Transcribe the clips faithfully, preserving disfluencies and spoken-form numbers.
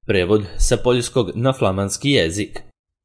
Prevod sa poljskog na flamanski jezik.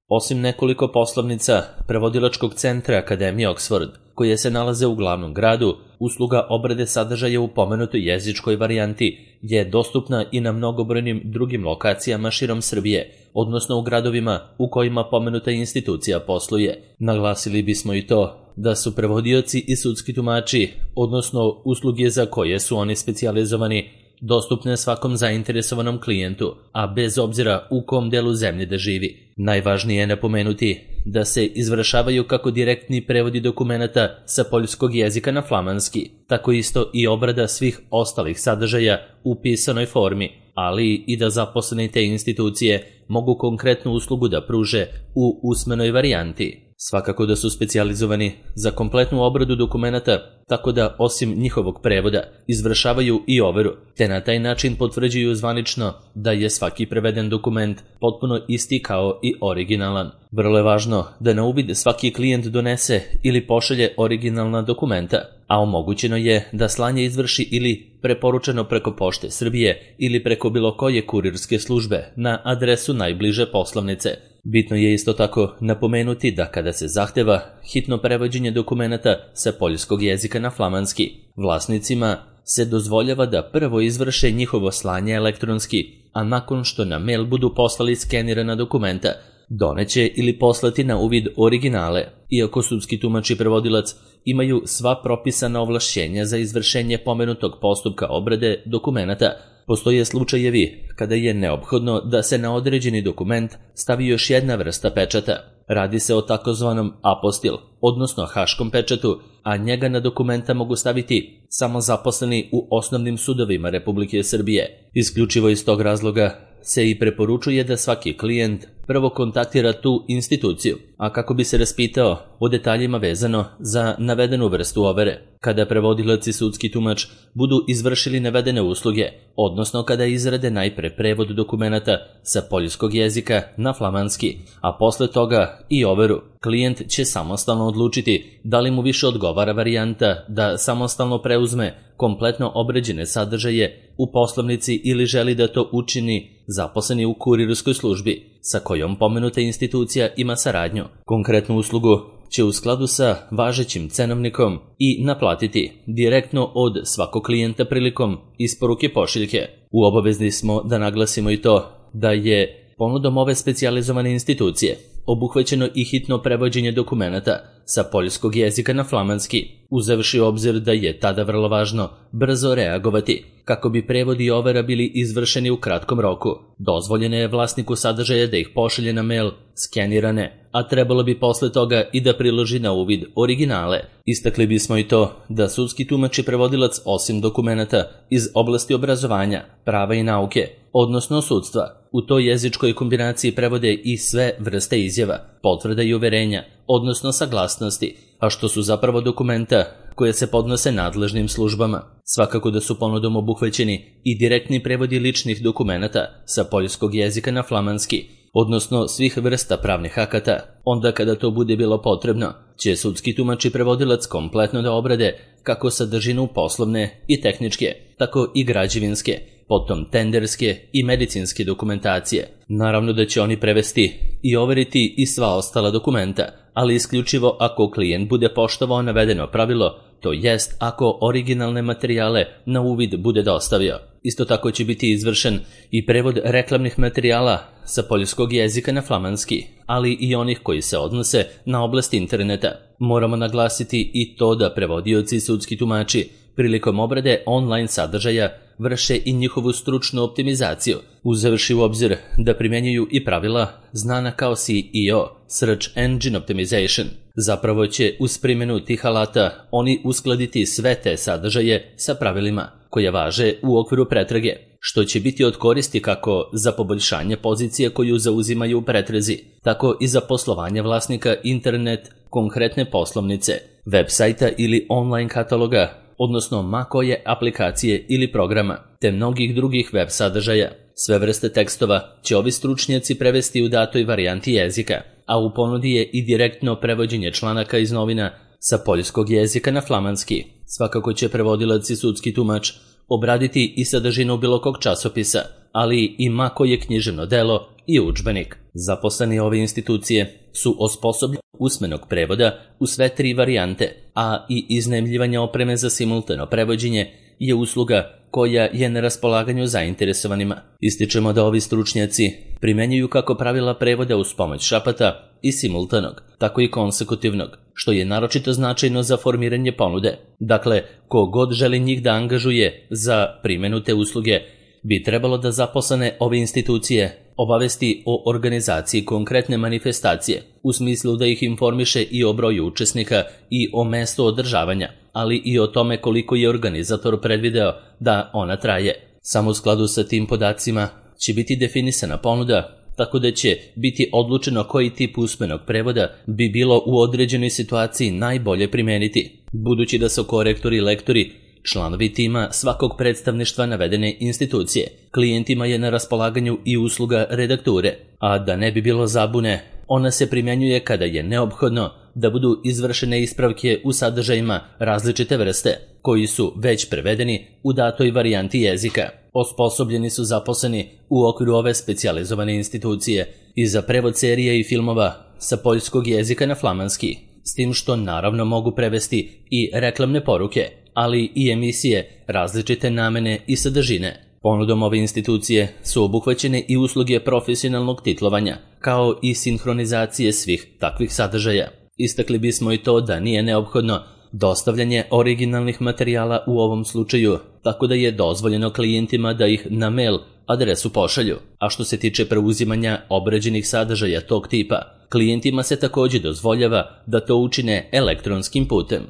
Osim nekoliko poslovnica prevodilačkog centra Akademije Oxford, koje se nalaze u glavnom gradu, usluga obrade sadržaja u pomenutoj jezičkoj varijanti je dostupna i na mnogobrojnim drugim lokacijama širom Srbije, odnosno u gradovima u kojima pomenuta institucija posluje. Naglasili bismo i to da su prevodioci i sudski tumači, odnosno usluge za koje su oni specijalizovani, dostupne svakom zainteresovanom klijentu, a bez obzira u kom delu zemlje da živi. Najvažnije je napomenuti da se izvršavaju kako direktni prevodi dokumenata sa poljskog jezika na flamanski, tako isto i obrada svih ostalih sadržaja u pisanoj formi, ali i da zaposleni te institucije mogu konkretnu uslugu da pruže u usmenoj varijanti. Svakako da su specijalizovani za kompletnu obradu dokumenata, tako da osim njihovog prevoda izvršavaju i overu, te na taj način potvrđuju zvanično da je svaki preveden dokument potpuno isti kao i originalan. Vrlo je važno da na uvid svaki klijent donese ili pošalje originalna dokumenta, a omogućeno je da slanje izvrši ili preporučeno preko Pošte Srbije ili preko bilo koje kurirske službe na adresu najbliže poslovnice. Bitno je isto tako napomenuti da kada se zahteva hitno prevođenje dokumenata sa poljskog jezika na flamanski, vlasnicima se dozvoljava da prvo izvrše njihovo slanje elektronski, a nakon što na mail budu poslali skenirana dokumenta, doneće ili poslati na uvid originale, iako sudski tumač i prevodilac imaju sva propisana ovlašćenja za izvršenje pomenutog postupka obrade dokumenata. Postoje slučajevi kada je neophodno da se na određeni dokument stavi još jedna vrsta pečata. Radi se o takozvanom apostil, odnosno haškom pečatu, a njega na dokumenta mogu staviti samo zaposleni u osnovnim sudovima Republike Srbije. Isključivo iz tog razloga se i preporučuje da svaki klijent prvo kontaktira tu instituciju, a kako bi se raspitao o detaljima vezano za navedenu vrstu overe. Kada prevodilac i sudski tumač budu izvršili navedene usluge, odnosno kada izrade najpre prevod dokumenata sa poljskog jezika na flamanski, a posle toga i overu, klijent će samostalno odlučiti da li mu više odgovara varijanta da samostalno preuzme kompletno obrađene sadržaje u poslovnici ili želi da to učini zaposleni u kurirskoj službi, sa kojom pomenuta institucija ima saradnju. Konkretnu uslugu će u skladu sa važećim cenovnikom i naplatiti direktno od svakog klijenta prilikom isporuke pošiljke. U obavezni smo da naglasimo i to da je ponudom ove specijalizovane institucije obuhvaćeno i hitno prevođenje dokumenata sa poljskog jezika na flamanski, uzevši u obzir da je tada vrlo važno brzo reagovati kako bi prevodi i overa bili izvršeni u kratkom roku. Dozvoljeno je vlasniku sadržaja da ih pošalje na mail skenirane, a trebalo bi posle toga i da priloži na uvid originale. Istakli bismo i to da sudski tumač i prevodilac osim dokumenata iz oblasti obrazovanja, prava i nauke, odnosno sudstva, u toj jezičkoj kombinaciji prevode i sve vrste izjava, potvrda i uverenja, odnosno saglasnosti, a što su zapravo dokumenta koje se podnose nadležnim službama. Svakako da su ponudom obuhvaćeni i direktni prevodi ličnih dokumenata sa poljskog jezika na flamanski, odnosno svih vrsta pravnih akata. Onda kada to bude bilo potrebno, će sudski tumač i prevodilac kompletno da obrade kako sadržinu poslovne i tehničke, tako i građevinske, potom tenderske i medicinske dokumentacije. Naravno da će oni prevesti i overiti i sva ostala dokumenta, ali isključivo ako klijent bude poštovao navedeno pravilo, to jest ako originalne materijale na uvid bude dostavio. Isto tako će biti izvršen i prevod reklamnih materijala sa poljskog jezika na flamanski, ali i onih koji se odnose na oblast interneta. Moramo naglasiti i to da prevodioci i sudski tumači prilikom obrade online sadržaja vrše i njihovu stručnu optimizaciju, uzevši u obzir da primjenjuju i pravila znana kao S E O, Search Engine Optimization. Zapravo će uz primjenu tih alata oni uskladiti sve te sadržaje sa pravilima koje važe u okviru pretrage, što će biti od koristi kako za poboljšanje pozicije koju zauzimaju u pretrezi, tako i za poslovanje vlasnika internet konkretne poslovnice, web sajta ili online kataloga, odnosno ma koje aplikacije ili programa, te mnogih drugih web sadržaja. Sve vrste tekstova će ovi stručnjaci prevesti u datoj varijanti jezika, a u ponudi je i direktno prevođenje članaka iz novina sa poljskog jezika na flamanski. Svakako će prevodilac i sudski tumač obraditi i sadržinu bilo kog časopisa, ali i ma koje književno delo i udžbenik. Zaposleni ove institucije su osposobljeni usmenog prevoda u sve tri varijante, a i iznajmljivanje opreme za simultano prevođenje je usluga koja je na raspolaganju zainteresovanima. Ističemo da ovi stručnjaci primenjuju kako pravila prevoda uz pomoć šapata i simultanog, tako i konsekutivnog, što je naročito značajno za formiranje ponude. Dakle, ko god želi njih da angažuje za primenu te usluge, bi trebalo da zaposlene ove institucije obavesti o organizaciji konkretne manifestacije, u smislu da ih informiše i o broju učesnika i o mestu održavanja, ali i o tome koliko je organizator predvideo da ona traje. Samo u skladu sa tim podacima će biti definisana ponuda, tako da će biti odlučeno koji tip usmenog prevoda bi bilo u određenoj situaciji najbolje primeniti, budući da su korektori i lektori članovi tima svakog predstavništva navedene institucije. Klijentima je na raspolaganju i usluga redakture, a da ne bi bilo zabune, ona se primjenjuje kada je neophodno da budu izvršene ispravke u sadržajima različite vrste, koji su već prevedeni u datoj varijanti jezika. Osposobljeni su zaposleni u okviru ove specijalizovane institucije i za prevod serija i filmova sa poljskog jezika na flamanski, s tim što naravno mogu prevesti i reklamne poruke, ali i emisije različite namene i sadržine. Ponudom ove institucije su obuhvaćene i usluge profesionalnog titlovanja, kao i sinhronizacije svih takvih sadržaja. Istakli bismo i to da nije neophodno dostavljanje originalnih materijala u ovom slučaju, tako da je dozvoljeno klijentima da ih na mail adresu pošalju. A što se tiče preuzimanja obrađenih sadržaja tog tipa, klijentima se također dozvoljava da to učine elektronskim putem.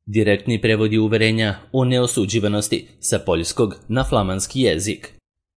Direktni prevodi uverenja o neosuđivanosti sa poljskog na flamanski jezik.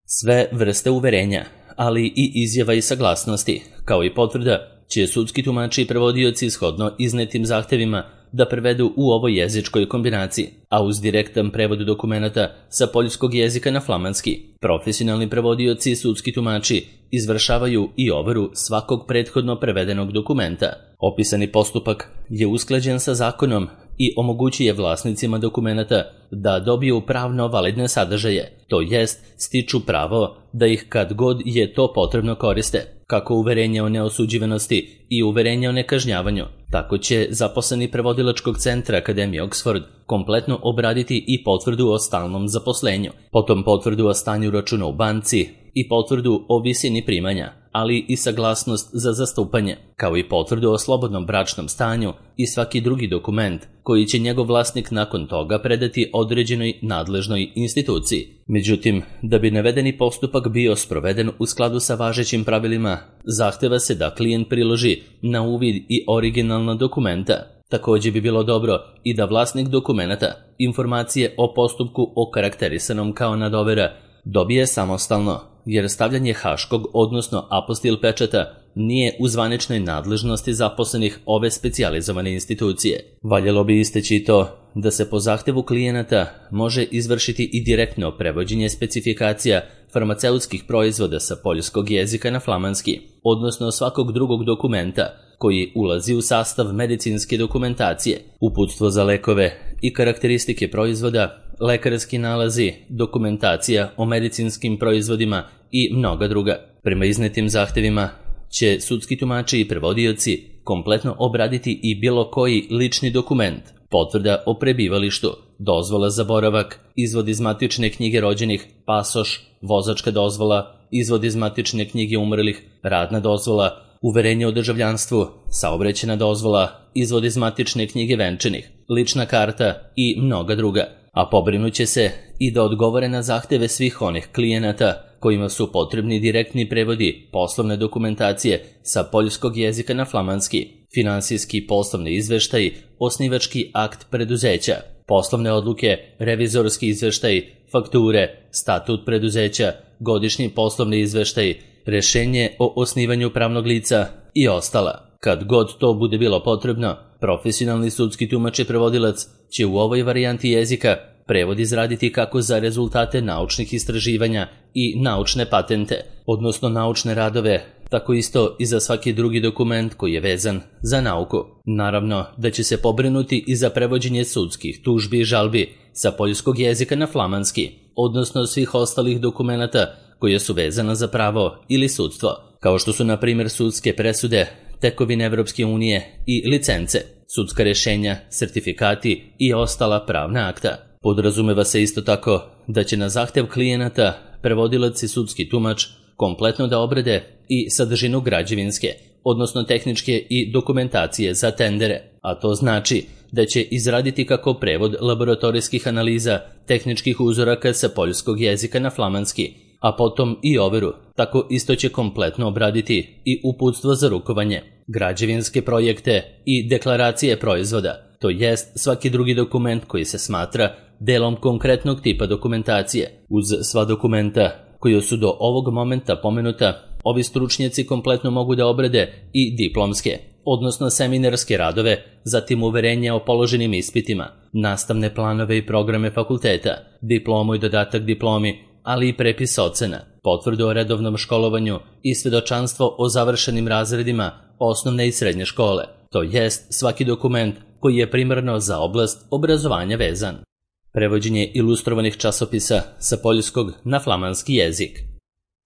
Sve vrste uverenja, ali i izjava i saglasnosti, kao i potvrda, će sudski tumači i prevodioci shodno iznetim zahtevima da prevedu u ovoj jezičkoj kombinaciji, a uz direktan prevod dokumenata sa poljskog jezika na flamanski. Profesionalni prevodioci i sudski tumači izvršavaju i overu svakog prethodno prevedenog dokumenta. Opisani postupak je usklađen sa zakonom i omogućuje vlasnicima dokumenata da dobiju pravno validne sadržaje, to jest stiču pravo da ih kad god je to potrebno koriste, kako uverenje o neosuđivanosti i uverenje o nekažnjavanju. Tako će zaposleni prevodilačkog centra Akademije Oxford kompletno obraditi i potvrdu o stalnom zaposlenju, potom potvrdu o stanju računa u banci i potvrdu o visini primanja, ali i saglasnost za zastupanje, kao i potvrdu o slobodnom bračnom stanju i svaki drugi dokument koji će njegov vlasnik nakon toga predati određenoj nadležnoj instituciji. Međutim, da bi navedeni postupak bio sproveden u skladu sa važećim pravilima, zahteva se da klijent priloži na uvid i originalna dokumenta. Također bi bilo dobro i da vlasnik dokumenata informacije o postupku okarakterisanom kao nadovera dobije samostalno, jer stavljanje haškog, odnosno apostil pečata, nije u zvaničnoj nadležnosti zaposlenih ove specijalizovane institucije. Valjalo bi isteći to da se po zahtevu klijenata može izvršiti i direktno prevođenje specifikacija farmaceutskih proizvoda sa poljskog jezika na flamanski, odnosno svakog drugog dokumenta koji ulazi u sastav medicinske dokumentacije, uputstvo za lekove i karakteristike proizvoda, lekarski nalazi, dokumentacija o medicinskim proizvodima i mnoga druga. Prema iznetim zahtevima će sudski tumači i prevodioci kompletno obraditi i bilo koji lični dokument, potvrda o prebivalištu, dozvola za boravak, izvod iz matične knjige rođenih, pasoš, vozačka dozvola, izvod iz matične knjige umrlih, radna dozvola, uverenje o državljanstvu, saobraćajna dozvola, izvod iz matične knjige venčanih, lična karta i mnoga druga. A pobrinuće se i da odgovore na zahteve svih onih klijenata kojima su potrebni direktni prevodi poslovne dokumentacije sa poljskog jezika na flamanski, finansijski poslovni izveštaj, osnivački akt preduzeća, poslovne odluke, revizorski izveštaj, fakture, statut preduzeća, godišnji poslovni izveštaj, rešenje o osnivanju pravnog lica i ostala. Kad god to bude bilo potrebno, profesionalni sudski tumač i prevodilac će u ovoj varijanti jezika prevod izraditi kako za rezultate naučnih istraživanja i naučne patente, odnosno naučne radove, tako isto i za svaki drugi dokument koji je vezan za nauku. Naravno da će se pobrinuti i za prevođenje sudskih tužbi i žalbi sa poljskog jezika na flamanski, odnosno svih ostalih dokumenata koje su vezana za pravo ili sudstvo, kao što su na primjer sudske presude, tekovine Evropske unije i licence, sudska rješenja, sertifikati i ostala pravna akta. Podrazumeva se isto tako da će na zahtev klijenata prevodilac i sudski tumač kompletno da obrade i sadržinu građevinske, odnosno tehničke i dokumentacije za tendere, a to znači da će izraditi kako prevod laboratorijskih analiza tehničkih uzoraka sa poljskog jezika na flamanski, a potom i overu, tako isto će kompletno obraditi i uputstvo za rukovanje, građevinske projekte i deklaracije proizvoda, to jest svaki drugi dokument koji se smatra delom konkretnog tipa dokumentacije. Uz sva dokumenta koji su do ovog momenta pomenuta, ovi stručnjaci kompletno mogu da obrade i diplomske, odnosno seminarske radove, zatim uverenja o položenim ispitima, nastavne planove i programe fakulteta, diplomu i dodatak diplomi, ali i prepis ocena, potvrdu o redovnom školovanju i svedočanstvo o završenim razredima osnovne i srednje škole, to jest svaki dokument koji je primarno za oblast obrazovanja vezan. Prevođenje ilustrovanih časopisa sa poljskog na flamanski jezik.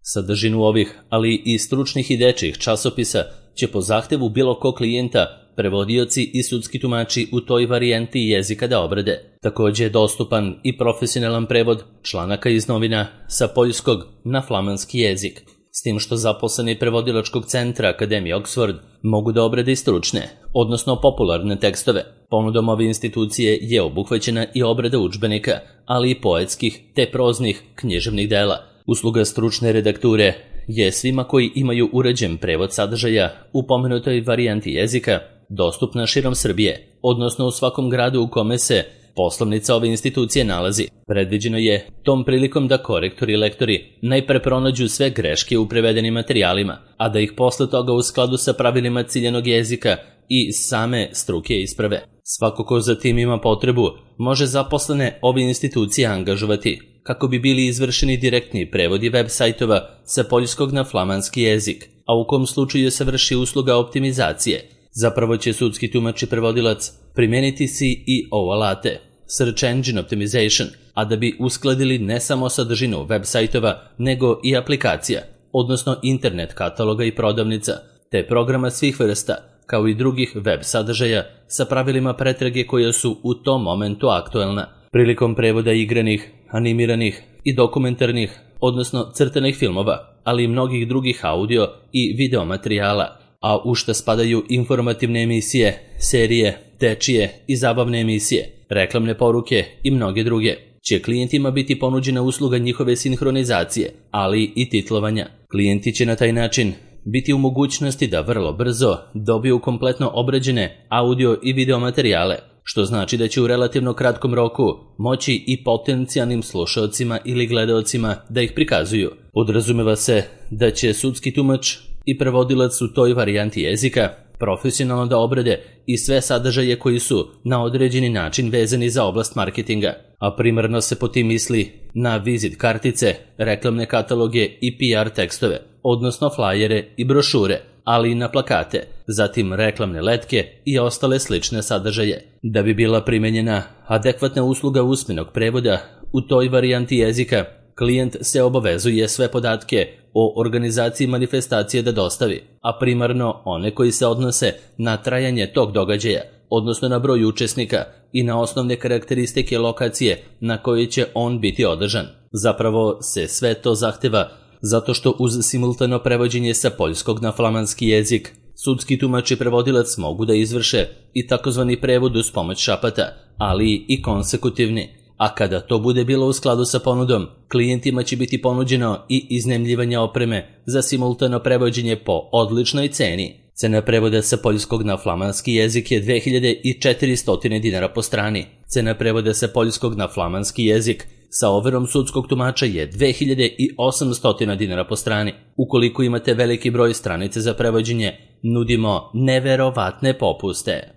Sadržinu ovih, ali i stručnih i dečjih časopisa će po zahtevu bilo kog klijenta prevodioci i sudski tumači u toj varijanti jezika da obrade. Također je dostupan i profesionalan prevod članaka iz novina sa poljskog na flamanski jezik, s tim što zaposleni prevodilačkog centra Akademije Oxford mogu da obrade i stručne, odnosno popularne tekstove. Ponudom ove institucije je obuhvaćena i obrada udžbenika, ali i poetskih te proznih književnih dela. Usluga stručne redakture je svima koji imaju uređen prevod sadržaja u pomenutoj varijanti jezika dostupna širom Srbije, odnosno u svakom gradu u kome se poslovnica ove institucije nalazi. Predviđeno je tom prilikom da korektori i lektori najpre pronađu sve greške u prevedenim materijalima, a da ih posle toga u skladu sa pravilima ciljanog jezika i same struke isprave. Svako ko za tim ima potrebu može zaposlene ove institucije angažovati kako bi bili izvršeni direktni prevodi web sajtova sa poljskog na flamanski jezik, a u kom slučaju se vrši usluga optimizacije. Zapravo će sudski tumač i prevodilac primeniti C E O alate, Search Engine Optimization, a da bi uskladili ne samo sadržinu web sajtova, nego i aplikacija, odnosno internet kataloga i prodavnica, te programa svih vrsta, kao i drugih web sadržaja sa pravilima pretrage koja su u tom momentu aktuelna. Prilikom prevoda igranih, animiranih i dokumentarnih, odnosno crtanih filmova, ali i mnogih drugih audio i video materijala, a u šta spadaju informativne emisije, serije, dečije i zabavne emisije, reklamne poruke i mnoge druge, će klijentima biti ponuđena usluga njihove sinhronizacije, ali i titlovanja. Klijenti će na taj način biti u mogućnosti da vrlo brzo dobiju kompletno obrađene audio i video materijale, što znači da će u relativno kratkom roku moći i potencijalnim slušaocima ili gledaocima da ih prikazuju. Podrazumeva se da će sudski tumač i prevodilac u toj varijanti jezika profesionalno da obrade i sve sadržaje koji su na određeni način vezani za oblast marketinga, a primarno se po tim misli na vizit kartice, reklamne kataloge i P R tekstove, odnosno flajere i brošure, ali i na plakate, zatim reklamne letke i ostale slične sadržaje. Da bi bila primenjena adekvatna usluga usmenog prevoda u toj varijanti jezika, klijent se obavezuje sve podatke o organizaciji manifestacije da dostavi, a primarno one koji se odnose na trajanje tog događaja, odnosno na broj učesnika i na osnovne karakteristike lokacije na kojoj će on biti održan. Zapravo se sve to zahteva zato što uz simultano prevođenje sa poljskog na flamanski jezik, sudski tumač i prevodilac mogu da izvrše i takozvani prevod uz pomoć šapata, ali i konsekutivni. A kada to bude bilo u skladu sa ponudom, klijentima će biti ponuđeno i iznajmljivanje opreme za simultano prevođenje po odličnoj ceni. Cena prevoda sa poljskog na flamanski jezik je dve hiljade četiristo dinara po strani. Cena prevoda sa poljskog na flamanski jezik sa overom sudskog tumača je dve hiljade osamsto dinara po strani. Ukoliko imate veliki broj stranice za prevođenje, nudimo neverovatne popuste.